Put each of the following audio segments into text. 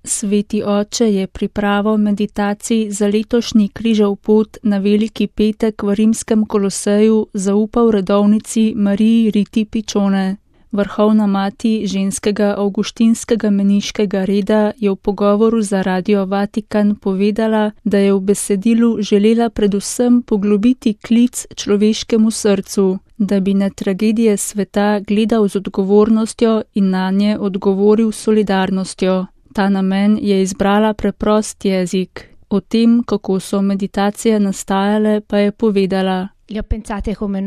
Sveti oče je pripravo meditacij za letošnji križev pot na Veliki petek v rimskem Koloseju zaupal redovnici Mariji Riti Pičone. Vrhovna mati ženskega avguštinskega meniškega reda je v pogovoru za Radio Vatikan povedala, da je v besedilu želela predvsem poglobiti klic človeškemu srcu, da bi na tragedije sveta gledal z odgovornostjo in nanje odgovoril s solidarnostjo. Ta namen je izbrala preprost jezik. O tem, kako so meditacije nastajale, pa je povedala: Le ho pensate come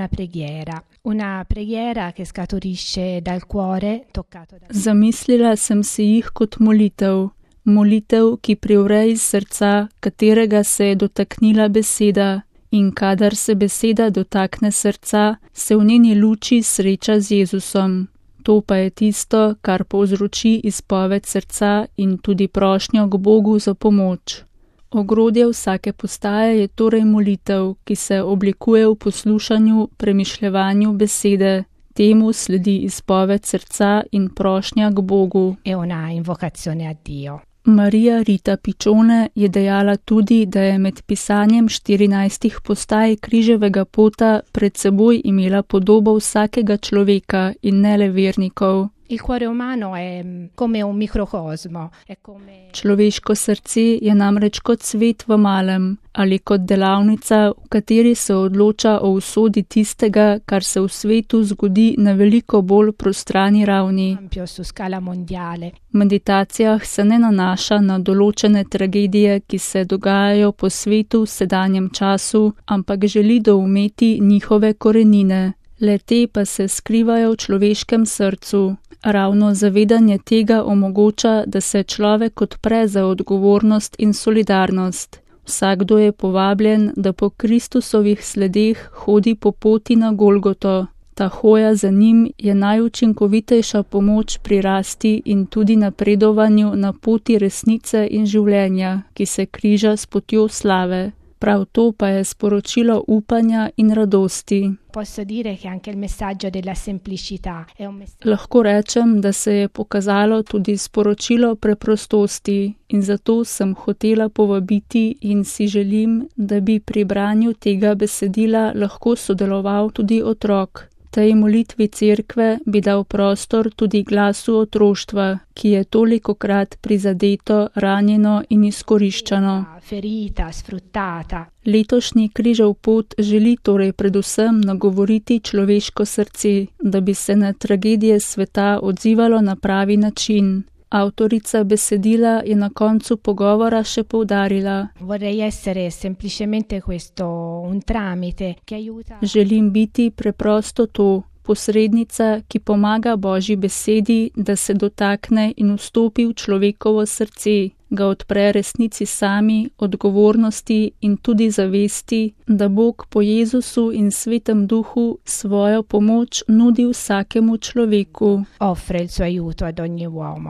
una preghiera che scaturisce dal cuore toccato da... Zamislila sem si jih kot molitev. Molitev, ki privre iz srca, katerega se je dotaknila beseda. In kadar se beseda dotakne srca, se v njeni luči sreča z Jezusom. To pa je tisto, kar povzroči izpoved srca in tudi prošnjo k Bogu za pomoč. Ogrodje vsake postaje je torej molitev, ki se oblikuje v poslušanju, premišljevanju besede. Temu sledi izpoved srca in prošnja k Bogu. È una invocazione a Dio. Marija Rita Pičone je dejala tudi, da je med pisanjem 14 postaj križevega pota pred seboj imela podobo vsakega človeka in ne le vernikov. Il cuore umano è come un microcosmo, è come... Človeško srce je namreč kot svet v malem ali kot delavnica, v kateri se odloča o usodi tistega, kar se v svetu zgodi na veliko bolj prostrani ravni. Ampio su scala mondiale. V meditacijah se ne nanaša na določene tragedije, ki se dogajajo po svetu v sedanjem času, ampak želi doumeti njihove korenine. Le te pa se skrivajo v človeškem srcu. Ravno zavedanje tega omogoča, da se človek odpre za odgovornost in solidarnost. Vsakdo je povabljen, da po Kristusovih sledeh hodi po poti na Golgoto. Ta hoja za njim je najučinkovitejša pomoč pri rasti in tudi napredovanju na poti resnice in življenja, ki se križa s potjo slave. Prav to pa je sporočilo upanja in radosti. Posso dire che anche il messaggio della semplicità è un messaggio. Lahko rečem, da se je pokazalo tudi sporočilo preprostosti in zato sem hotela povabiti in si želim, da bi pri branju tega besedila lahko sodeloval tudi otrok. Tej molitvi cerkve bi dal prostor tudi glasu otroštva, ki je tolikokrat prizadeto, ranjeno in izkoriščano. Ferita, sfruttata. Letošnji križev pot želi torej predvsem nagovoriti človeško srce, da bi se na tragedije sveta odzivalo na pravi način. Avtorica besedila je na koncu pogovora še poudarila: Vorrei essere semplicemente questo un tramite che aiuta. Želim biti preprosto to, posrednica, ki pomaga Božji besedi, da se dotakne in vstopi v človekovo srce, ga odpre resnici sami, odgovornosti in tudi zavesti, da Bog po Jezusu in Svetem Duhu svojo pomoč nudi vsakemu človeku. Offre il suo aiuto ad ogni uomo.